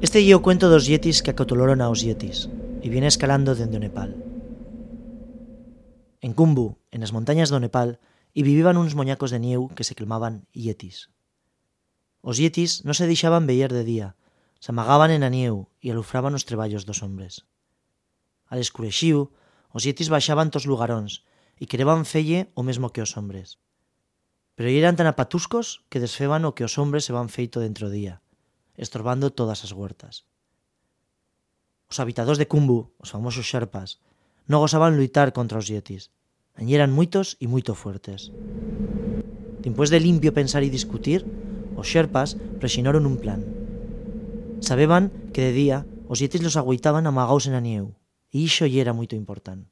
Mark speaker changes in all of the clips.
Speaker 1: Este é o cuento dos yetis que acotolaron aos yetis e viene escalando dende o Nepal. En Khumbu, en as montañas do Nepal, e viviban uns moñacos de nieu que se clamaban yetis. Os yetis non se deixaban veyer de día, se amagaban en a nieu e alufraban os treballos dos hombres. Al escurexiu, os yetis baixaban tos lugaróns e quereban felle o mesmo que os hombres. Pero eran tan apatuscos que desfeban o que os hombres se van feito dentro día, estorbando todas as huertas. Os habitadores de Khumbu, os famosos Sherpas, non gozaban luitar contra os yetis, añi eran moitos e moito fuertes. Dimpués de limpio pensar e discutir, os Sherpas prexinaron un plan. Sabeban que de día os yetis los agüitaban amagaos en a nieu, e ixo lle era moito importante.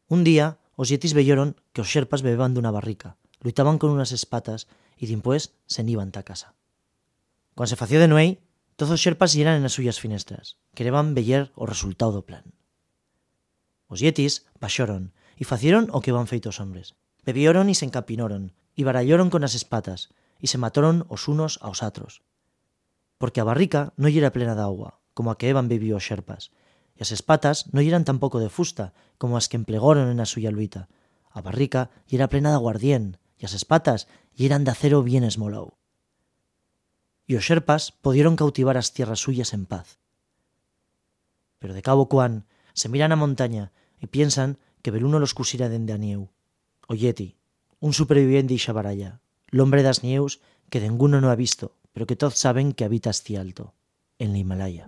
Speaker 1: Un día, os yetis veyoron que os Sherpas bebeban dunha barrica, luitaban con unas espatas e dimpués se iban ta casa. Cuando se fació de nuei, todos os Sherpas yeran en as suyas finestras, quereban veyer o resultado do plan. Os yetis baxoron e facieron o que van feito os hombres. Bebioron e se encapinoron, e baralloron con as espatas, e se matoron os unos aos atros. Porque a barrica non yera plena d'agua, como a que eban bebido os Sherpas, e as espatas non yeran tampouco de fusta, como as que emplegoron en a suya luita. A barrica yera plena d'aguardien, e as espatas yeran de acero bien esmolou. E os Sherpas podieron cautivar as tierras suyas en paz. Pero de cabo cuan se miran a montaña e piensan que beluno los cusira dende a nieu. O yeti, un superviviente ixa baralla, l'hombre das nieus que denguno no ha visto, pero que todos saben que habita asti alto, en la Himalaya.